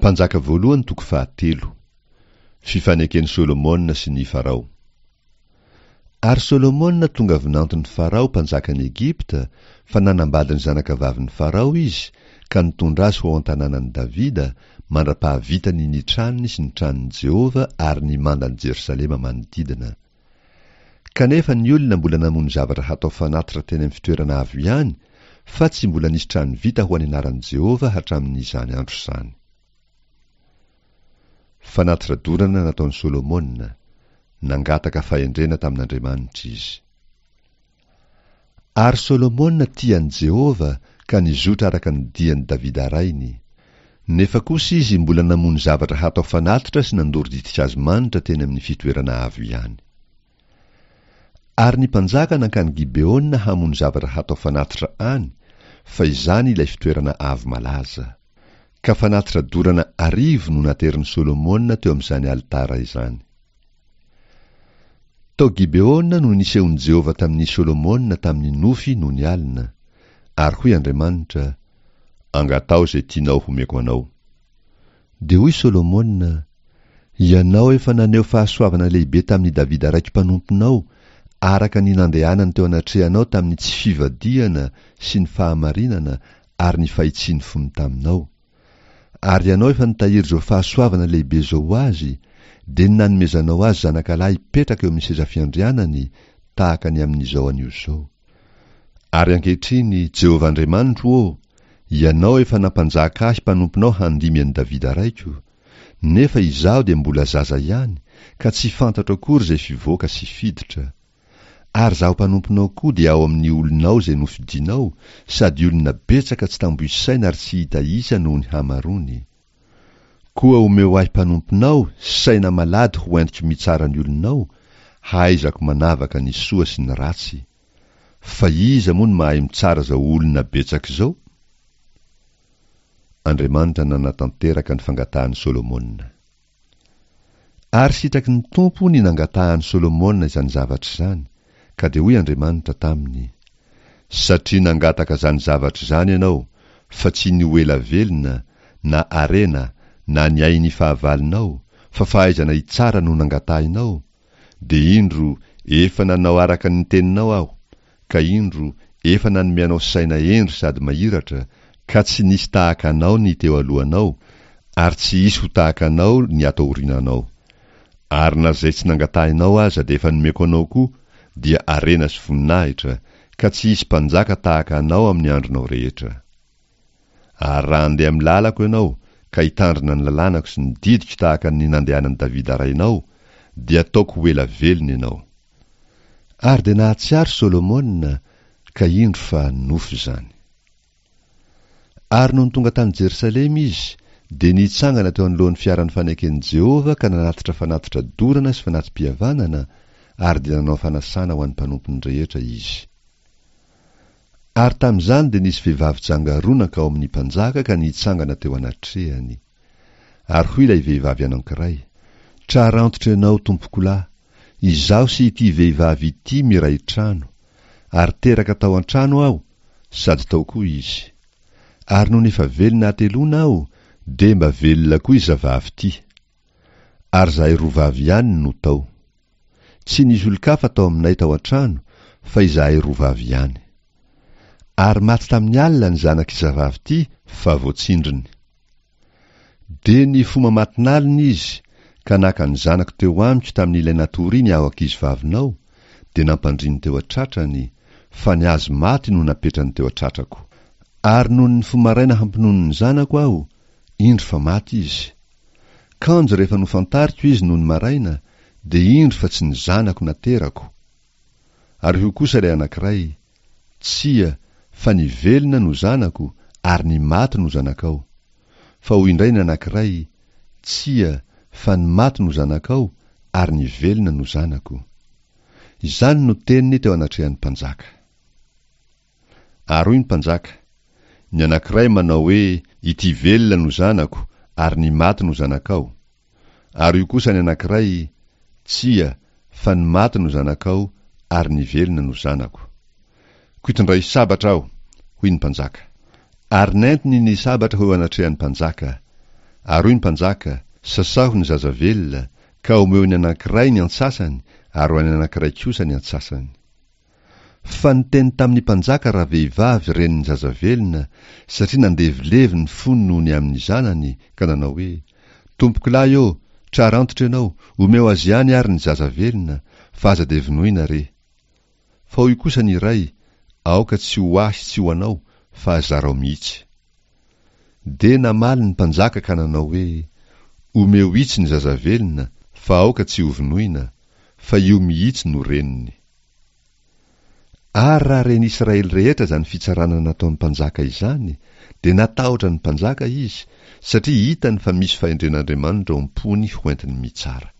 Mpanjaka voalohany toko fahatelo. Fifaneken'i Solomona sy ny Farao. Ary Solomona tonga vinanton'i Farao mpanjakan'i Egypta, fa nanambady ny zanakavavin'i Farao izy ka nitondra azy ho ao an-tanànan'i Davida, mandra-pahavitany ny tranony sy ny tranon'i Jehovah ary ny mandan'i Jerosalema manodidina. Kanefa ny olona mbola namono zavatra hatao fanatitra teny amin'ny fitoerana avo ihany, fa tsy mbola nisy trano vita ho an'ny anaran'i Jehovah hatramin'izany andro izany. Fanatitra dorana nataon'i Solomona, Nangataka fahendrena tamin'Andriamanitra izy. Ary Solomona tia an'i Jehovah ka nizotra araka ny dian'i Davida rainy. Nefa kosa izy mbola namono zavatra hatao fanatitra sy nandoro ditin-kazo manitra teny amin'ny fitoerana avo ihany. Ary ny mpanjaka nankany Gibeona hamono zavatra hatao fanatitra any, fa izany ilay fitoerana avo malaza. Ka fanatitra dorana arivo no naterin'i Solomona teo amin'izany alitara izany. Tao Gibeona no nisehon'i Jehovah tamin'i Solomona tamin'ny nofy nony alina, ary hoy Andriamanitra, Angataho izay tianao homeko anao. Dia hoy Solomona, Ianao efa naneho fahasoavana lehibe tamin'i Davida raiko mpanomponao, araka ny nandehanany teo anatrehanao tamin'ny tsy fivadihana sy ny fahamarinana ary ny fahitsian'ny fony taminao. Ary ianao efa nitahiry izao fahasoavana lehibe izao ho azy, dia ny nanomezanao azy zanakalahy hipetraka eo amin'ny seza fiandrianany, tahaka ny amin'izao anio izao. Ary ankehitriny, Jehovah Andriamanitro ô, Ianao efa nampanjaka ahy mpanomponao handimby an'i Davida raiko, nefa izaho dia mbola zaza ihany, ka tsy fantatro akory izay fivoaka sy fiditra. Ary izaho mpanomponao koa dia ao amin'ny olonao izay nofidinao, sady olona betsaka tsy tambo isaina ary tsy hita isa noho ny hamaroany. Koa omeo ahy mpanomponao saina malady ho entiko mitsara ny olonao, hahaizako manavaka ny soa sy ny ratsy. Fa iza moa no mahay mitsara izao olona betsaka izao? Andriamanitra nanatanteraka ny fangatahan'i Solomona. Ary sitraky ny Tompo ny nangatahan'i Solomona izany zavatra izany, ka dia hoy Andriamanitra taminy, Satria nangataka izany zavatra izany ianao, fa tsy ny ho ela velona, na harena, na ny ain'ny fahavalonao, fa fahaizana hitsara no nangatahinao, dia indro, efa nanao araka ny teninao Aho, ka indro, efa nanome anao saina hendry sady mahiratra, ka tsy nisy tahaka anao ny teo alohanao, ary tsy hisy ho tahaka anao ny ato aoriananao. Ary na izay tsy nangatahinao aza dia efa nomeko anao koa, dia harena sy voninahitra, ka tsy hisy mpanjaka tahaka anao amin'ny andronao rehetra. Ary raha handeha amin'ny lalako ianao, ka hitandrina ny lalànako sy ny didiko tahaka ny nandehanan'i Davida rainao, dia hataoko ho ela velona ianao. Ary dia nahatsiaro Solomona, ka indro fa nofy izany. Ary nony tonga tany Jerosalema izy, dia nitsangana teo anoloan'ny fiaran'ny faneken'i Jehovah ka nanatitra fanatitra dorana sy fanati-pihavanana, ary dia nanao fanasana ho an'ny mpanompony rehetra izy. Ary tamin'izany dia nisy vehivavy janga roa nankao amin'ny mpanjaka ka nitsangana teo anatrehany. Ary hoy ilay vehivavy anankiray, Trarantotra ianao, tompokolahy, izaho sy ity vehivavy ity miray trano, ary teraka tao an-trano aho, sady tao koa izy. Ary nony efa velona hateloana aho, dia mba velona koa izavavy ity. Ary izahay roa vavy ihany no tao. Tsy nisy olon-kafa tao aminay tao an-trano fa izahay roa vavy ihany. Ary maty tamin'ny alina ny zanak'i zavavy ity fa voatsindriny. Dia nifoha mamatin'alina izy ka naka ny zanako teo amiko tamin'ilay natoriany aho ankizivavinao dia nampandriny teo an-tratrany fa ny azy maty no napetrany teo an-tratrako. Ary nony nifoha maraina hampinono ny zanako aho, indro fa maty izy. Kanjo rehefa nofantariko izy nony maraina dia indro fa tsy ny zanako naterako. Ary hoy kosa ilay anankiray, Tsia, fa ny velona no zanako ary ny maty no zanakao. Fa hoy indray ny anankiray, Tsia, fa ny maty no zanakao ary ny velona no zanako. Izany no teniny teo anatrehan'ny mpanjaka. Ary hoy ny mpanjaka, Ny anankiray manao hoe, Ity velona no zanako, ary ny maty no zanakao. Ary hoy kosa ny anankiray, Tsia, fa ny maty no zanakao, ary ny velona no zanako. Koa itondray sabatra aho, hoy ny mpanjaka. Ary nentiny ny sabatra ho eo anatrehan'ny mpanjaka. Ary hoy ny mpanjaka, Sasaho ny zaza velona, ka omeo ny anankiray ny antsasany, ary ho an'ny anankiray kosa ny antsasany. Fa niteny tamin'ny mpanjaka ravehivavy renin'ny zaza velona, satria nandevilevy ny fony noho ny amin'ny zanany, ka nanao hoe, Tompokolahy ô, trara antitra ianao, omeo azy ihany ary ny zaza velona, fa aza dia vonoina re. Fa hoy kosa ny iray, Aoka tsy ho ahy tsy ho anao, fa zarao mihitsy. Dia namaly ny mpanjaka ka nanao hoe, Omeo itsy ny zaza velona, fa aoka tsy hovonoina, fa io mihitsy no reniny. Ary raha ren'i Israely rehetra izany fitsarana nataon'ny mpanjaka izany, dia natahotra ny mpanjaka izy, satria hitany fa misy fahendren'Andriamanitra ao am-pony hoentiny mitsara.